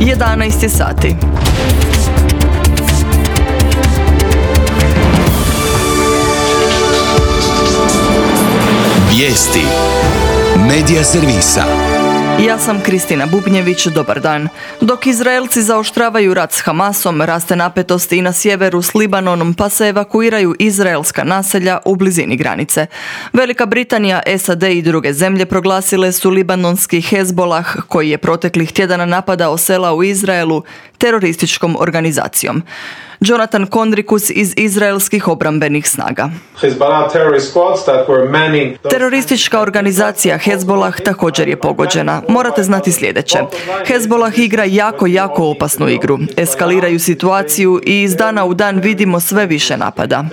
11 je sati. Vijesti Medija servisa. Ja sam Kristina Bubnjević, dobar dan. Dok Izraelci zaoštravaju rat s Hamasom, raste napetost i na sjeveru s Libanonom, pa se evakuiraju izraelska naselja u blizini granice. Velika Britanija, SAD i druge zemlje proglasile su libanonski Hezbolah, koji je proteklih tjedana napadao sela u Izraelu, terorističkom organizacijom. Jonathan Kondrikus iz izraelskih obrambenih snaga. Teroristička organizacija Hezbolah također je pogođena. Morate znati sljedeće. Hezbolah igra jako opasnu igru. Eskaliraju situaciju i iz dana u dan vidimo sve više napada.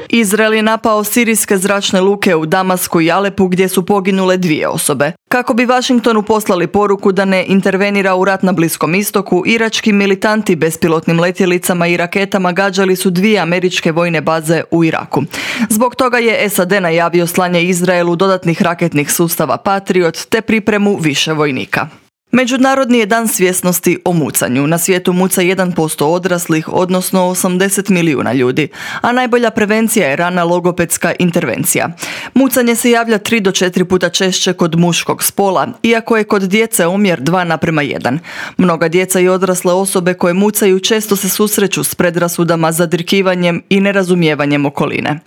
Izrael je napao sirijske zračne luke u Damasku i Alepu gdje su poginule 2 osobe. Kako bi Washingtonu poslali poruku da ne intervenira u rat na Bliskom istoku, irački militanti bespilotnim letjelicama i raketama gađali su 2 američke vojne baze u Iraku. Zbog toga je SAD najavio slanje Izraelu dodatnih raketnih sustava Patriot te pripremu više vojnika. Međunarodni je dan svjesnosti o mucanju. Na svijetu muca 1% odraslih, odnosno 80 milijuna ljudi, a najbolja prevencija je rana logopedska intervencija. Mucanje se javlja 3 do 4 puta češće kod muškog spola, iako je kod djece omjer 2:1. Mnoga djeca i odrasle osobe koje mucaju često se susreću s predrasudama, zadrkivanjem i nerazumijevanjem okoline.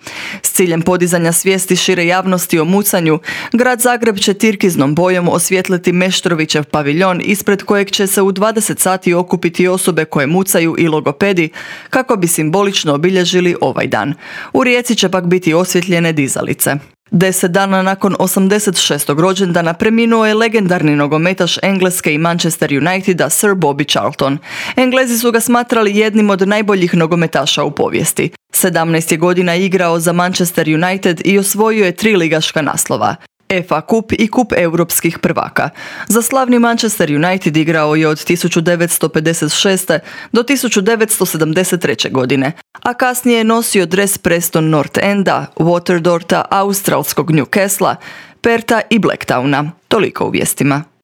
S ciljem podizanja svijesti šire javnosti o mucanju, grad Zagreb će tirkiznom bojom osvijetliti Meštrovićev paviljon ispred kojeg će se u 20 sati okupiti osobe koje mucaju i logopedi kako bi simbolično obilježili ovaj dan. U Rijeci će pak biti osvjetljene dizalice. 10 dana nakon 86. rođendana preminuo je legendarni nogometaš Engleske i Manchester Uniteda Sir Bobby Charlton. Englezi su ga smatrali jednim od najboljih nogometaša u povijesti. 17 je godina igrao za Manchester United i osvojio je 3 ligaška naslova. FA Kup i Kup europskih prvaka. Za slavni Manchester United igrao je od 1956. do 1973. godine, a kasnije je nosio dres Preston North Enda, Waterdorta, australskog Newcastlea, Perta i Blacktowna. Toliko u vijestima.